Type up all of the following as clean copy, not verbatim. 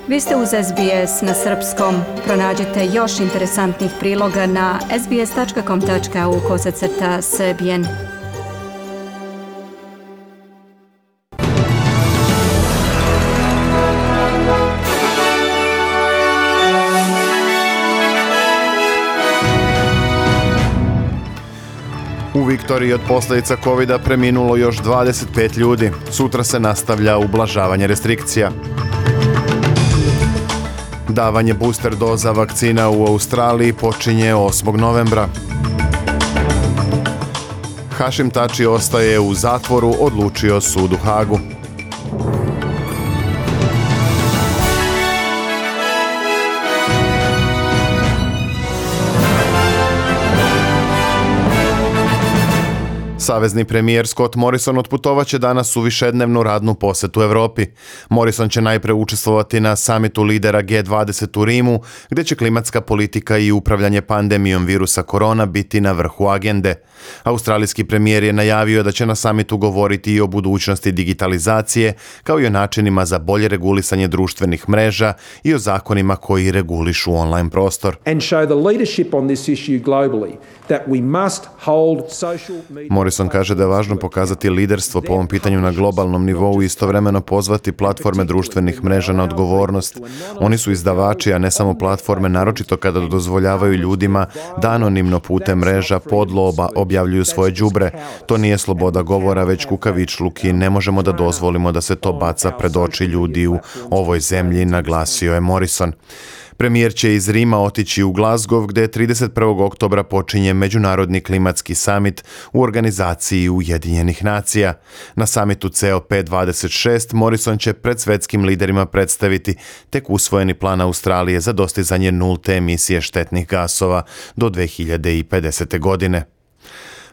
Vi ste uz SBS na srpskom. Pronađite još interesantnih priloga na sbs.com.au/srbijen. U Viktoriji od posljedica covida preminulo još 25 ljudi. Sutra se nastavlja ublažavanje restrikcija. Davanje booster doza vakcina u Australiji počinje 8. novembra. Hašim Tači ostaje u zatvoru, odlučio sud u Hagu. Savezni premijer Scott Morrison otputovaće danas u višednevnu radnu posjetu Europi. Morrison će najprije učestvovati na samitu lidera G20 u Rimu, gdje će klimatska politika i upravljanje pandemijom virusa korona biti na vrhu agende. Australijski premijer je najavio da će na samitu govoriti i o budućnosti digitalizacije, kao i o načinima za bolje regulisanje društvenih mreža i o zakonima koji regulišu online prostor. Morrison kaže da je važno pokazati liderstvo po ovom pitanju na globalnom nivou i istovremeno pozvati platforme društvenih mreža na odgovornost. Oni su izdavači, a ne samo platforme, naročito kada dozvoljavaju ljudima da anonimno putem mreža podloba objavljuju svoje đubre. To nije sloboda govora, već kukavičluk i ne možemo da dozvolimo da se to baca pred oči ljudi u ovoj zemlji, naglasio je Morrison. Premijer će iz Rima otići u Glasgow, gdje 31. oktobra počinje Međunarodni klimatski summit u organizaciji Ujedinjenih nacija. Na summitu COP26 Morrison će pred svjetskim liderima predstaviti tek usvojeni plan Australije za dostizanje nulte emisije štetnih gasova do 2050. godine.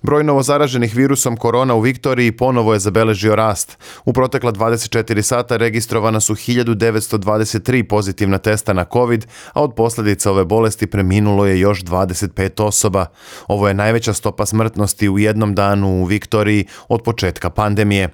Broj novozaraženih virusom korona u Viktoriji ponovo je zabeležio rast. U protekla 24 sata registrovana su 1923 pozitivna testa na COVID, a od posljedica ove bolesti preminulo je još 25 osoba. Ovo je najveća stopa smrtnosti u jednom danu u Viktoriji od početka pandemije.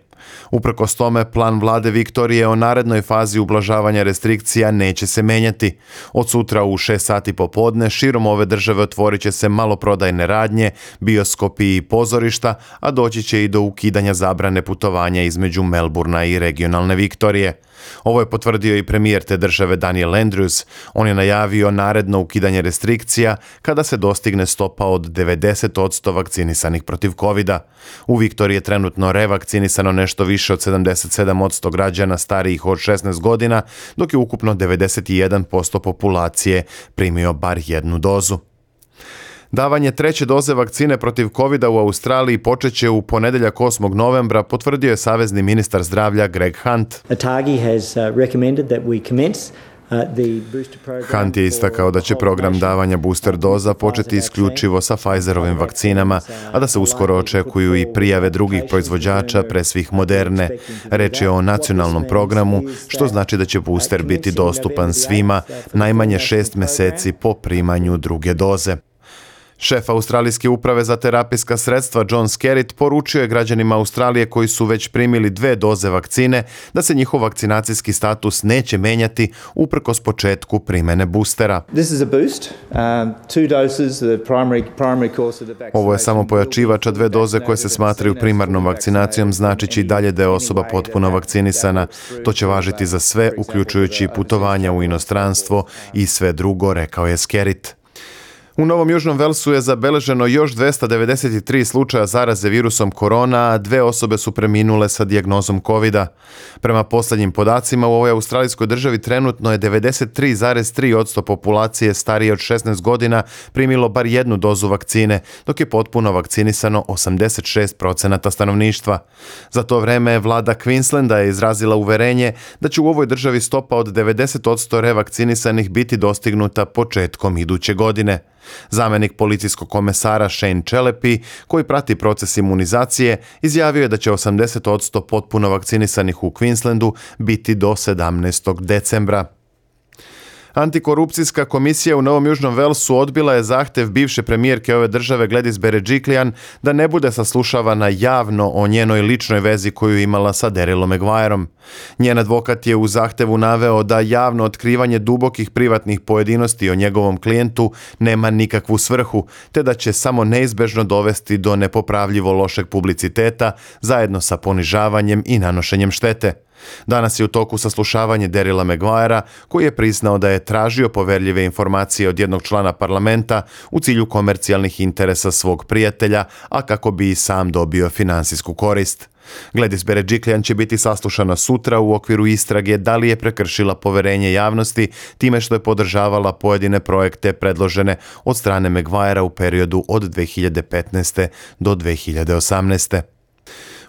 Uprkos tome, plan vlade Viktorije o narednoj fazi ublažavanja restrikcija neće se menjati. Od sutra u 6 sati popodne širom ove države otvorit će se maloprodajne radnje, bioskopi i pozorišta, a doći će i do ukidanja zabrane putovanja između Melburna i regionalne Viktorije. Ovo je potvrdio i premijer te države Daniel Andrews. On je najavio naredno ukidanje restrikcija kada se dostigne stopa od 90% vakcinisanih protiv covida. U Viktoriji je trenutno revakcinisano nešto više od 77% građana starijih od 16 godina, dok je ukupno 91% populacije primio bar jednu dozu. Davanje treće doze vakcine protiv covida u Australiji počeće u ponedjeljak 8. novembra, potvrdio je savezni ministar zdravlja Greg Hunt. Hunt je istakao da će program davanja booster doza početi isključivo sa Pfizerovim vakcinama, a da se uskoro očekuju i prijave drugih proizvođača, pre svih Moderne. Reč je o nacionalnom programu, što znači da će booster biti dostupan svima najmanje 6 mjeseci po primanju druge doze. Šef Australijske uprave za terapijska sredstva John Skerritt poručio je građanima Australije koji su već primili 2 doze vakcine da se njihov vakcinacijski status neće menjati uprkos početku primjene boostera. Ovo je samo pojačivač, a 2 doze koje se smatraju primarnom vakcinacijom znači će i dalje da je osoba potpuno vakcinisana. To će važiti za sve, uključujući putovanja u inostranstvo i sve drugo, rekao je Skerritt. U Novom Južnom Velsu je zabeleženo još 293 slučaja zaraze virusom korona, a 2 osobe su preminule sa dijagnozom covida. Prema posljednjim podacima, u ovoj australijskoj državi trenutno je 93,3% populacije starije od 16 godina primilo bar jednu dozu vakcine, dok je potpuno vakcinisano 86% stanovništva. Za to vreme vlada Queenslanda je izrazila uverenje da će u ovoj državi stopa od 90% revakcinisanih biti dostignuta početkom iduće godine. Zamjenik policijskog komesara Shane Chelepi, koji prati proces imunizacije, izjavio je da će 80% potpuno vakcinisanih u Queenslandu biti do 17. decembra. Antikorupcijska komisija u Novom Južnom Velsu odbila je zahtev bivše premijerke ove države Gladys Berejiklian da ne bude saslušavana javno o njenoj ličnoj vezi koju imala sa Darrylom Maguireom. Njen advokat je u zahtevu naveo da javno otkrivanje dubokih privatnih pojedinosti o njegovom klijentu nema nikakvu svrhu, te da će samo neizbežno dovesti do nepopravljivo lošeg publiciteta zajedno sa ponižavanjem i nanošenjem štete. Danas je u toku saslušavanje Darryla Maguirea, koji je priznao da je tražio poverljive informacije od jednog člana parlamenta u cilju komercijalnih interesa svog prijatelja, a kako bi i sam dobio finansijsku korist. Gladys Berejiklian će biti saslušana sutra u okviru istrage da li je prekršila poverenje javnosti time što je podržavala pojedine projekte predložene od strane Maguirea u periodu od 2015. do 2018.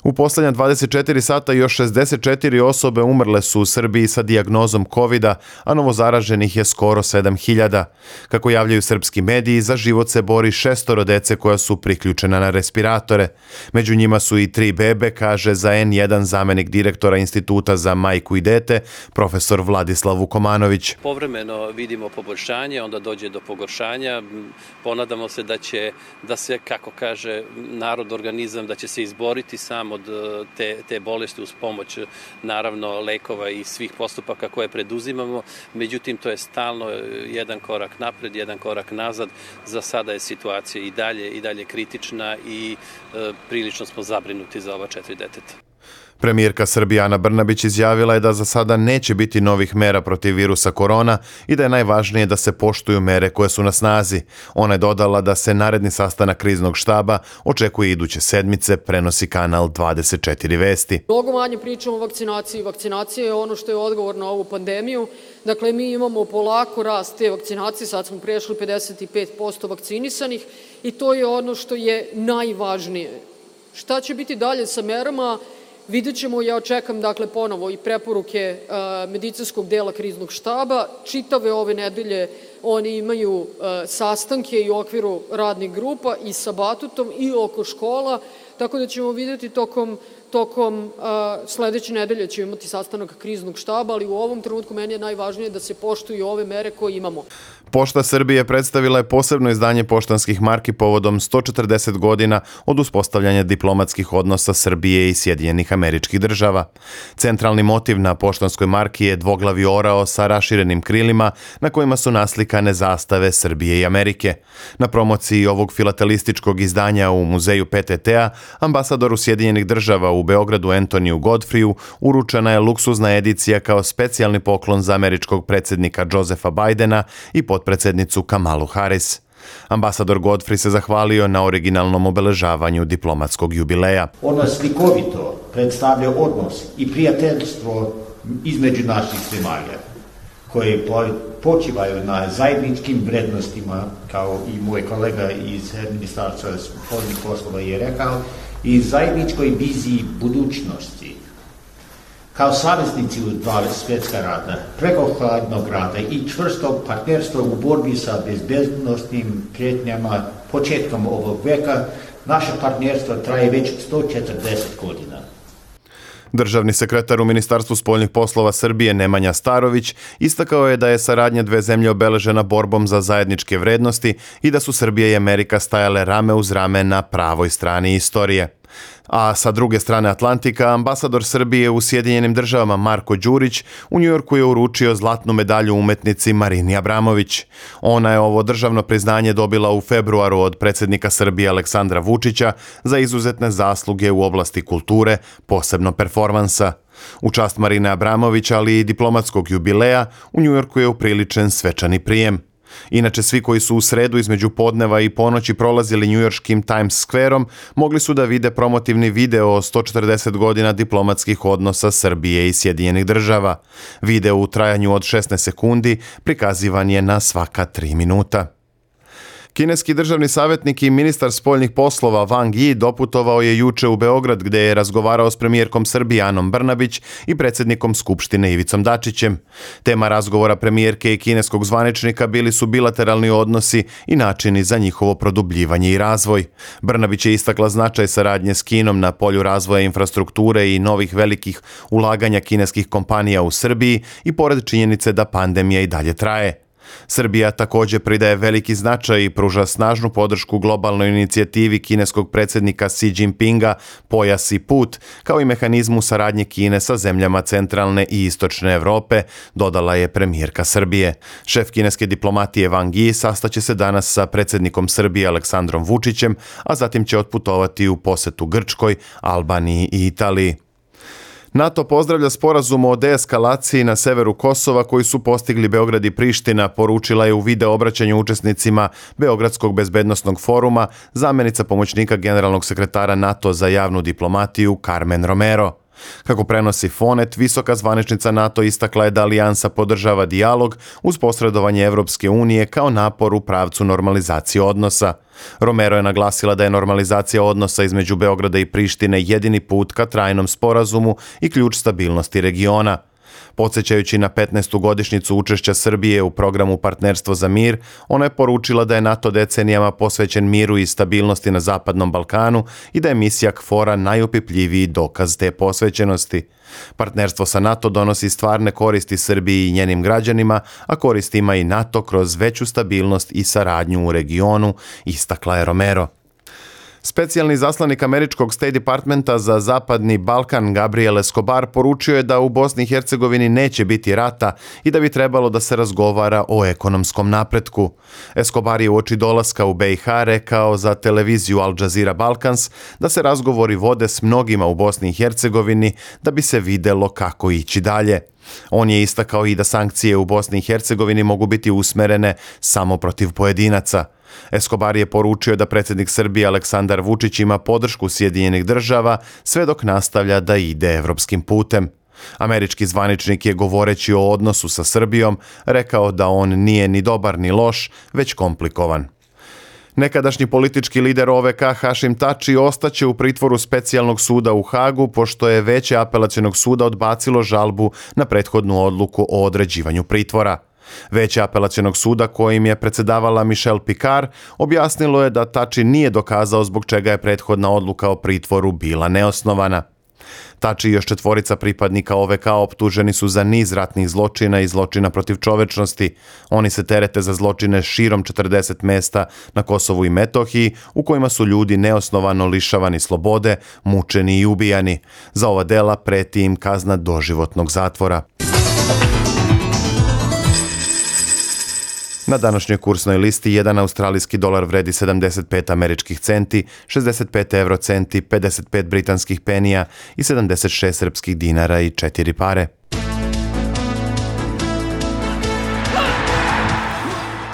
U posljednja 24 sata još 64 osobe umrle su u Srbiji sa dijagnozom COVID-a, a novozaraženih je skoro 7000. Kako javljaju srpski mediji, za život se bori 6 dece koja su priključena na respiratore. Među njima su i 3 bebe, kaže za N1 zamenik direktora Instituta za majku i dete, profesor Vladislav Vukomanović. Povremeno vidimo poboljšanje, onda dođe do pogoršanja. Ponadamo se da se, kako kaže narod, organizam, da će se izboriti sam od te bolesti uz pomoć naravno lekova i svih postupaka koje preduzimamo. Međutim, to je stalno jedan korak napred, jedan korak nazad. Za sada je situacija i dalje kritična i prilično smo zabrinuti za ova 4 deteta. Premijerka Srbije Ana Brnabić izjavila je da za sada neće biti novih mera protiv virusa korona i da je najvažnije da se poštuju mere koje su na snazi. Ona je dodala da se naredni sastanak kriznog štaba očekuje iduće sedmice, prenosi kanal 24 vesti. Mnogo manje pričamo o vakcinaciji. Vakcinacija je ono što je odgovor na ovu pandemiju. Dakle, mi imamo polako rast te vakcinacije, sad smo prešli 55% vakcinisanih i to je ono što je najvažnije. Šta će biti dalje sa merama? Vidjet ćemo, ja očekam dakle ponovo i preporuke medicinskog dela kriznog štaba. Čitave ove nedelje oni imaju sastanke i u okviru radnih grupa i sa Batutom i oko škola, tako da ćemo vidjeti tokom sledeće nedelje ćemo imati sastanak kriznog štaba, ali u ovom trenutku meni je najvažnije da se poštuju ove mere koje imamo. Pošta Srbije predstavila je posebno izdanje poštanskih marki povodom 140 godina od uspostavljanja diplomatskih odnosa Srbije i Sjedinjenih Američkih Država. Centralni motiv na poštanskoj marki je dvoglavi orao sa raširenim krilima na kojima su naslikane zastave Srbije i Amerike. Na promociji ovog filatelističkog izdanja u muzeju PTT-a ambasadoru Sjedinjenih Država u Beogradu Antoniju Godfreyu uručena je luksuzna edicija kao specijalni poklon za američkog predsjednika Josepha Bidena i potpredsjednicu Kamalu Harris. Ambasador Godfrey se zahvalio na originalnom obeležavanju diplomatskog jubileja. Ono slikovito predstavlja odnos i prijateljstvo između naših zemalja, koje počivaju na zajedničkim vrednostima, kao i moj kolega iz Ministarstva spoljnih poslova je rekao, i zajedničkoj viziji budućnosti. Kao saveznici u dva svjetska rata, preko hladnog rata i čvrstog partnerstva u borbi sa bezbednosnim prijetnjama početkom ovog veka, naše partnerstvo traje već 140 godina. Državni sekretar u Ministarstvu spoljnih poslova Srbije Nemanja Starović istakao je da je saradnja dve zemlje obeležena borbom za zajedničke vrednosti i da su Srbija i Amerika stajale rame uz rame na pravoj strani istorije. A sa druge strane Atlantika, ambasador Srbije u Sjedinjenim Državama Marko Đurić u Njujorku je uručio zlatnu medalju umetnici Marini Abramović. Ona je ovo državno priznanje dobila u februaru od predsjednika Srbije Aleksandra Vučića za izuzetne zasluge u oblasti kulture, posebno performansa. U čast Marine Abramović, ali i diplomatskog jubileja, u Njujorku je upriličen svečani prijem. Inače, svi koji su u sredu između podneva i ponoći prolazili njujorškim Times Squareom mogli su da vide promotivni video o 140 godina diplomatskih odnosa Srbije i Sjedinjenih Država. Video u trajanju od 16 sekundi prikazivan je na svaka 3 minuta. Kineski državni savjetnik i ministar spoljnih poslova Wang Yi doputovao je juče u Beograd gdje je razgovarao s premijerkom Srbije Anom Brnabić i predsjednikom Skupštine Ivicom Dačićem. Tema razgovora premijerke i kineskog zvaničnika bili su bilateralni odnosi i načini za njihovo produbljivanje i razvoj. Brnabić je istakla značaj saradnje s Kinom na polju razvoja infrastrukture i novih velikih ulaganja kineskih kompanija u Srbiji i pored činjenice da pandemija i dalje traje. Srbija također pridaje veliki značaj i pruža snažnu podršku globalnoj inicijativi kineskog predsjednika Xi Jinpinga Pojas i put, kao i mehanizmu saradnje Kine sa zemljama centralne i istočne Europe, dodala je premijerka Srbije. Šef kineske diplomatije Wang Yi sastaće se danas sa predsjednikom Srbije Aleksandrom Vučićem, a zatim će otputovati u posjetu Grčkoj, Albaniji i Italiji. NATO pozdravlja sporazum o deeskalaciji na severu Kosova koji su postigli Beograd i Priština, poručila je u video obraćanju učesnicima Beogradskog bezbednosnog foruma zamjenica pomoćnika generalnog sekretara NATO za javnu diplomatiju Carmen Romero. Kako prenosi Fonet, visoka zvaničnica NATO istakla je da alijansa podržava dijalog uz posredovanje Evropske unije kao napor u pravcu normalizacije odnosa. Romero je naglasila da je normalizacija odnosa između Beograda i Prištine jedini put ka trajnom sporazumu i ključ stabilnosti regiona. Podsjećajući na 15. godišnjicu učešća Srbije u programu Partnerstvo za mir, ona je poručila da je NATO decenijama posvećen miru i stabilnosti na Zapadnom Balkanu i da je misija KFOR-a najopipljiviji dokaz te posvećenosti. Partnerstvo sa NATO donosi stvarne koristi Srbiji i njenim građanima, a koristi ima i NATO kroz veću stabilnost i saradnju u regionu, istakla je Romero. Specijalni zaslanik američkog State Departmenta za Zapadni Balkan Gabriel Escobar poručio je da u Bosni i Hercegovini neće biti rata i da bi trebalo da se razgovara o ekonomskom napretku. Escobar je uoči dolaska u BiH rekao za televiziju Al Jazeera Balkans da se razgovori vode s mnogima u Bosni i Hercegovini da bi se videlo kako ići dalje. On je istakao i da sankcije u Bosni i Hercegovini mogu biti usmerene samo protiv pojedinaca. Escobar je poručio da predsjednik Srbije Aleksandar Vučić ima podršku Sjedinjenih država sve dok nastavlja da ide evropskim putem. Američki zvaničnik je govoreći o odnosu sa Srbijom rekao da on nije ni dobar ni loš, već komplikovan. Nekadašnji politički lider OVK Hašim Tači ostaće u pritvoru specijalnog suda u Hagu pošto je Veće apelacionog suda odbacilo žalbu na prethodnu odluku o određivanju pritvora. Veće apelacionog suda kojim je predsjedavala Michelle Picard objasnilo je da Tači nije dokazao zbog čega je prethodna odluka o pritvoru bila neosnovana. Tači i još 4 pripadnika OVK optuženi su za niz ratnih zločina i zločina protiv čovečnosti. Oni se terete za zločine širom 40 mesta na Kosovu i Metohiji u kojima su ljudi neosnovano lišavani slobode, mučeni i ubijani. Za ova dela preti im kazna doživotnog zatvora. Na današnjoj kursnoj listi jedan australijski dolar vredi 75 američkih centi, 65 eurocenti, 55 britanskih penija i 76 srpskih dinara i 4 pare.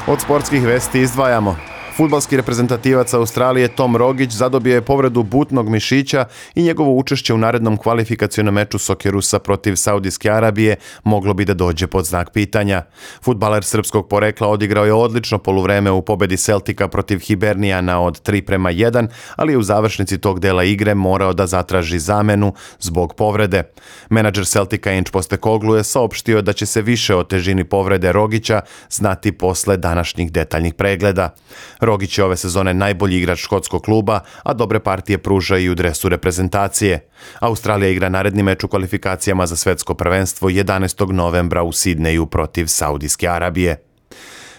Od sportskih vesti izdvajamo. Fudbalski reprezentativac Australije Tom Rogić zadobio je povredu butnog mišića i njegovo učešće u narednom kvalifikacionom meču Sokerusa protiv Saudijske Arabije moglo bi da dođe pod znak pitanja. Fudbaler srpskog porekla odigrao je odlično poluvreme u pobedi Celtica protiv Hibernijana od 3:1, ali je u završnici tog dela igre morao da zatraži zamenu zbog povrede. Menadžer Celtica Ange Postecoglou je saopštio da će se više o težini povrede Rogića znati posle današnjih detaljnih pregleda. Rogić je ove sezone najbolji igrač škotskog kluba, a dobre partije pruža i u dresu reprezentacije. Australija igra naredni meč u kvalifikacijama za svetsko prvenstvo 11. novembra u Sidneju protiv Saudijske Arabije.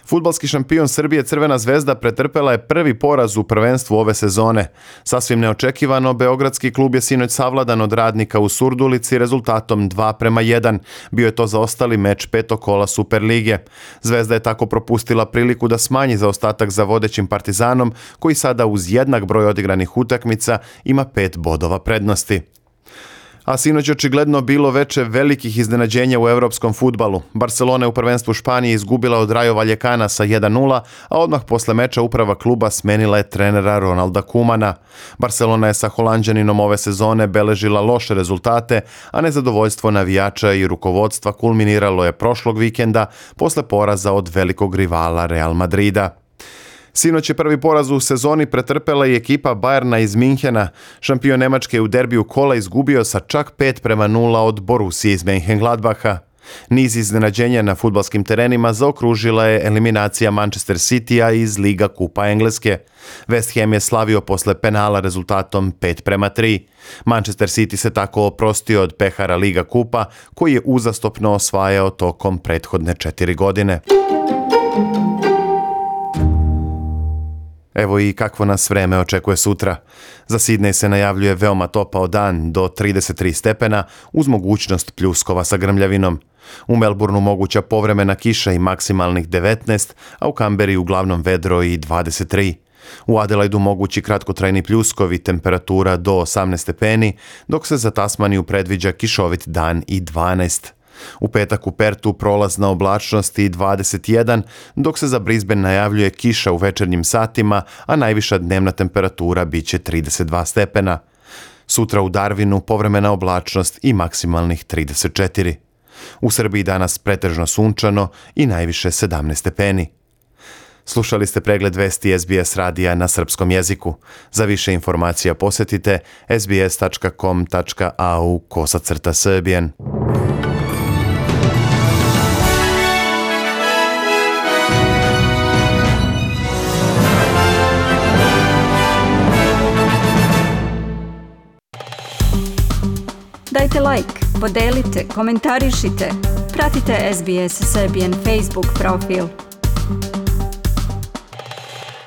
Fudbalski šampion Srbije Crvena zvezda pretrpela je prvi poraz u prvenstvu ove sezone. Sasvim neočekivano, beogradski klub je sinoć savladan od Radnika u Surdulici rezultatom 2:1. Bio je to zaostali meč 5. kola Superlige. Zvezda je tako propustila priliku da smanji zaostatak za vodećim Partizanom, koji sada uz jednak broj odigranih utakmica ima 5 bodova prednosti. A sinoć očigledno bilo veće velikih iznenađenja u evropskom fudbalu. Barcelona je u prvenstvu Španije izgubila od Rayo Vallecana sa 1:0, a odmah posle meča uprava kluba smenila je trenera Ronalda Koemana. Barcelona je sa Holanđaninom ove sezone beležila loše rezultate, a nezadovoljstvo navijača i rukovodstva kulminiralo je prošlog vikenda posle poraza od velikog rivala Real Madrida. Sinoć je prvi poraz u sezoni pretrpela i ekipa Bayerna iz Minhena. Šampion Nemačke u derbiju kola izgubio sa čak 5:0 od Borussije iz Mönchengladbacha. Niz iznenađenja na fudbalskim terenima zaokružila je eliminacija Manchester Citya iz Liga kupa Engleske. West Ham je slavio posle penala rezultatom 5:3. Manchester City se tako oprostio od pehara Liga kupa koji je uzastopno osvajao tokom prethodne 4 godine. Evo i kakvo nas vreme očekuje sutra. Za Sidnej se najavljuje veoma topao dan do 33 stepena uz mogućnost pljuskova sa grmljavinom. U Melbourneu moguća povremena kiša i maksimalnih 19, a u Kamberi uglavnom vedro i 23. U Adelaidu mogući kratkotrajni pljuskovi, temperatura do 18 stepeni, dok se za Tasmaniju predviđa kišovit dan i 12. U petak u Pertu prolazna oblačnost i 21, dok se za Brisbane najavljuje kiša u večernjim satima, a najviša dnevna temperatura biće 32 stepena. Sutra u Darwinu povremena oblačnost i maksimalnih 34. U Srbiji danas pretežno sunčano i najviše 17 stepeni. Slušali ste pregled vesti SBS radija na srpskom jeziku. Za više informacija posjetite sbs.com.au/Serbian. Dajte like, podelite, komentarišite. Pratite SBS Serbian Facebook profil.